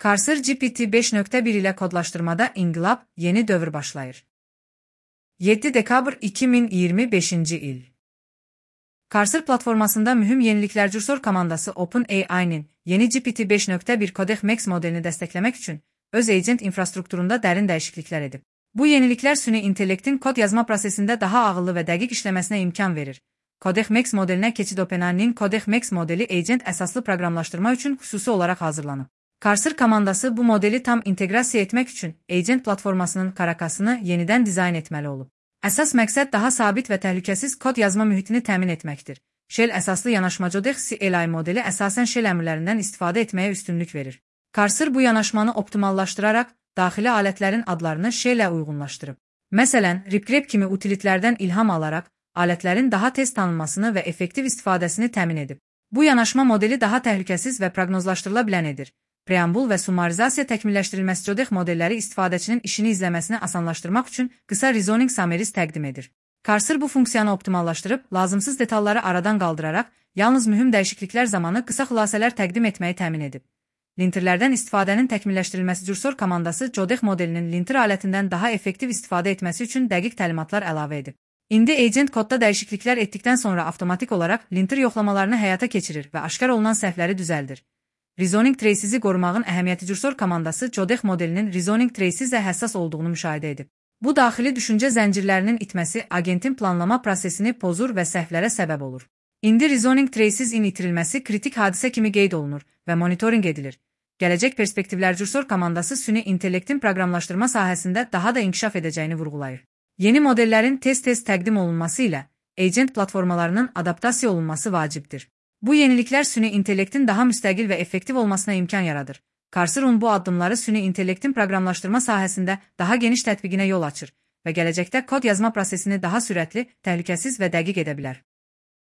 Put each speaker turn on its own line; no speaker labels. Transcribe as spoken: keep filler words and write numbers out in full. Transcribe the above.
Cursor G P T beş nöqtə bir ilə kodlaşdırmada inqilab, yeni dövr başlayır. yeddi dekabr iki min iyirmi beşinci il. Cursor platformasında mühüm yeniliklər Cursor komandası OpenAI-nin yeni G P T beş nöqtə bir Codex Max modelini dəstəkləmək üçün öz agent infrastrukturunda dərin dəyişikliklər edib. Bu yeniliklər süni intellektin kod yazma prosesində daha ağıllı və dəqiq işləməsinə imkan verir. Codex Max modelinə keçid OpenAI-nin Codex Max modeli agent əsaslı proqramlaşdırma üçün xüsusi olaraq hazırlanıb. Cursor komandası bu modeli tam inteqrasiya etmək üçün agent platformasının karakasını yenidən dizayn etməli olub. Əsas məqsəd daha sabit və təhlükəsiz kod yazma mühitini təmin etməkdir. Shell əsaslı yanaşma Codex C L I modeli əsasən Shell əmrlərindən istifadə etməyə üstünlük verir. Cursor bu yanaşmanı optimallaşdıraraq daxili alətlərin adlarını Shell-ə uyğunlaşdırıb. Məsələn, RipGrep kimi utilitlərdən ilham alaraq alətlərin daha tez tanınmasını və effektiv istifadəsini təmin edib. Bu yanaşma modeli daha təhlükəsiz və proqnozlaşdırıla bilən edir. Preambul və summarizasiya təkmilləşdirilməsi Codex modelləri istifadəçinin işini izləməsini asanlaşdırmaq üçün qısa reasoning summaries təqdim edir. Cursor bu funksiyanı optimallaşdırıb, lazımsız detalları aradan qaldıraraq, yalnız mühüm dəyişikliklər zamanı qısa xülasələr təqdim etməyi təmin edib. Linterlərdən istifadənin təkmilləşdirilməsi Cursor komandası Codex modelinin linter alətindən daha effektiv istifadə etməsi üçün dəqiq təlimatlar əlavə edib. İndi agent kodda dəyişikliklər etdikdən sonra avtomatik olaraq linter yoxlamalarını həyata keçirir və aşkar olunan səhvləri düzəldir. Reasoning traces'i qorumağın əhəmiyyəti Cursor komandası Codex modelinin reasoning traces'ə həssas olduğunu müşahidə edib. Bu daxili düşüncə zəncirlərinin itməsi agentin planlama prosesini pozur və səhvlərə səbəb olur. İndi reasoning traces'in itirilməsi kritik hadisə kimi qeyd olunur və monitoring edilir. Gələcək perspektivlər Cursor komandası süni intellektin proqramlaşdırma sahəsində daha da inkişaf edəcəyini vurğulayır. Yeni modellərin tez-tez təqdim olunması ilə agent platformalarının adaptasiya olunması vacibdir. Bu yeniliklər süni intellektin daha müstəqil və effektiv olmasına imkan yaradır. Cursor'un bu addımları süni intellektin proqramlaşdırma sahəsində daha geniş tətbiqinə yol açır və gələcəkdə kod yazma prosesini daha sürətli, təhlükəsiz və dəqiq edə bilər.